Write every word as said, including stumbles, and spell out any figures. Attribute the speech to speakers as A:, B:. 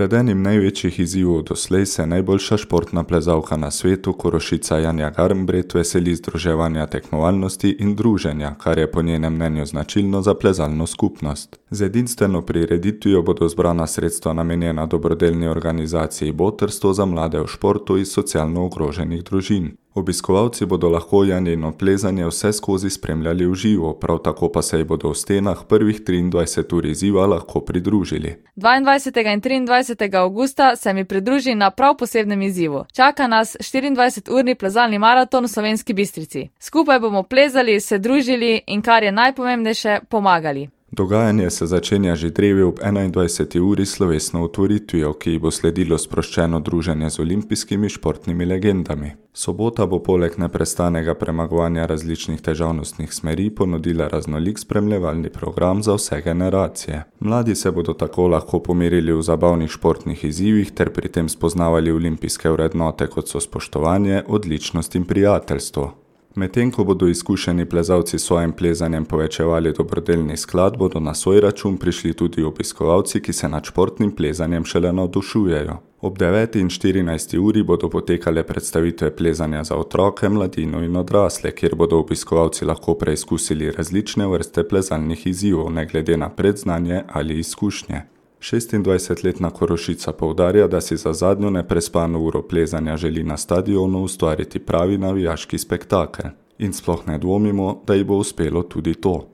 A: Pred enim največjih izzivov doslej se najboljša športna plezalka na svetu, Korošica Janja Garnbret, veseli združevanja tekmovalnosti in druženja, kar je po njenem mnenju značilno za plezalno skupnost. Z edinstveno prireditvijo bodo zbrana sredstva namenjena dobrodelni organizaciji Botrstvo za mlade v športu iz socialno ogroženih družin. Obiskovalci bodo lahko Janjino plezanje vse skozi spremljali v živo, prav tako pa se ji bodo v stenah prvih triindvajset ur izziva lahko pridružili.
B: dvaindvajsetega in triindvajsetega avgusta se mi pridruži na prav posebnem izzivu. Čaka nas štiriindvajseturni plezalni maraton v Slovenski Bistrici. Skupaj bomo plezali, se družili in, kar je najpomembnejše, pomagali.
A: Dogajanje se začenja že drevi ob enaindvajseti uri slovesno otvoritvijo, ki ji bo sledilo sproščeno druženje z olimpijskimi športnimi legendami. Sobota bo poleg neprestanega premagovanja različnih težavnostnih smeri ponudila raznolik spremljevalni program za vse generacije. Mladi se bodo tako lahko pomerili v zabavnih športnih izzivih ter pri tem spoznavali olimpijske vrednote, kot so spoštovanje, odličnost in prijateljstvo. Medtem ko bodo izkušeni plezalci s svojim plezanjem povečevali dobrodelni sklad, bodo na svoj račun prišli tudi obiskovalci, ki se nad športnim plezanjem šele navdušujejo. Ob deveti in štirinajsti uri bodo potekale predstavitve plezanja za otroke, mladino in odrasle, kjer bodo obiskovalci lahko preizkusili različne vrste plezalnih izzivov, ne glede na predznanje ali izkušnje. šestindvajsetletna Korošica poudarja, da si za zadnjo neprespano uro plezanja želi na stadionu ustvariti pravi navijaški spektakel. In sploh ne dvomimo, da ji bo uspelo tudi to.